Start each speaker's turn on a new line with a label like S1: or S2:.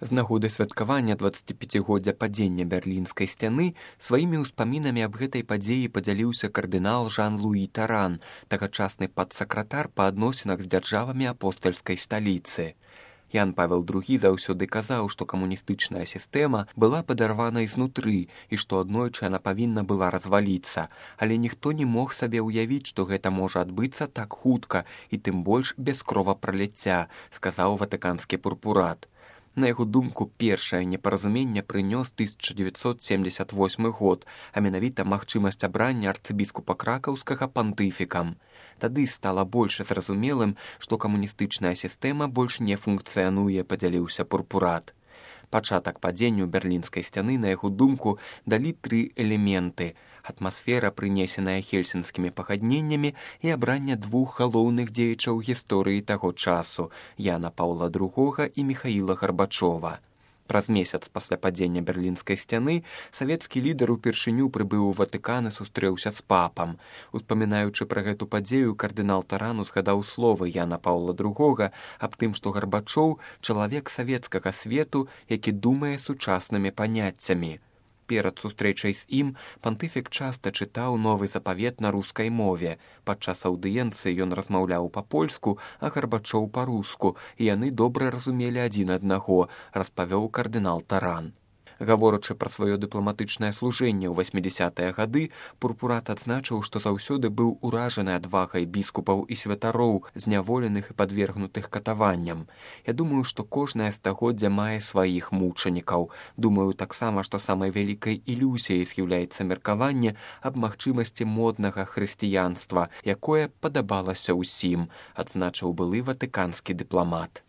S1: З нагоды святкавання 25-годдзя падзення Берлінскай сцяны сваімі ўспамінамі аб гэтай падзеі падзяліўся кардынал Жан-Луі Таран, тагачасны падсакратар па адносінах з дзяржавамі апостальскай сталіцы. Ян Павел II заўсёды казаў, што камуністычная сістэма была падарвана ізнутры і што аднойчы яна павінна была разваліцца, але ніхто не мог сабе ўявіць, што гэта можа адбыцца так хутка і тым больш без кровапраліцця, сказаў ватыканскі пурпурат. На яго думку, першае непаразуменне прынёс 1978 год, а менавіта магчымасць абрання арцыбіскупа кракаўскага пантыфікам. Тады стала больш зразумелым, што камуністычная сістэма больш не функцыянуе, падзяліўся пурпурат. Пачатак падзенню Берлінскай сцяны, на яго думку, далі 3 элементы: атмасфера, прынесеная хельсінскімі пагадненнямі, і абранне 2 галоўных дзеячаў гісторыі таго часу – Яна Паўла II і Міхаіла Гарбачова. Праз месяц пасля падзення Берлінскай сцяны савецкі лідар упершыню прыбыў у Ватыкан і сустрэўся з папам. Успамінаючы пра гэту падзею, кардынал Таран узгадаў словы Яна Паўла II аб тым, што Гарбачоў – чалавек савецкага свету, які думае сучаснымі паняццямі. Перад сустрэчай з ім пантыфік часта чытаў новы запавет на рускай мове. Падчас аўдыенцыі ён размаўляў па-польску, а Гарбачоў па-руску, і яны добра разумелі адзін аднаго, распавёў кардынал Таран. Гаворачы пра сваё дыпламатычнае служэнне ў 80-е гады, пурпурат адзначыў, што заўсёды быў уражаны адвагай біскупаў і святароў, зняволеных і падвергнутых катаванням. Я думаю, што кожнае стагоддзя мае сваіх мучанікаў. Думаю таксама, што самай вялікай ілюзіяй з'яўляецца меркаванне аб магчымасці моднага хрысціянства, якое падабалася ўсім, адзначыў былы ватыканскі дыпламат.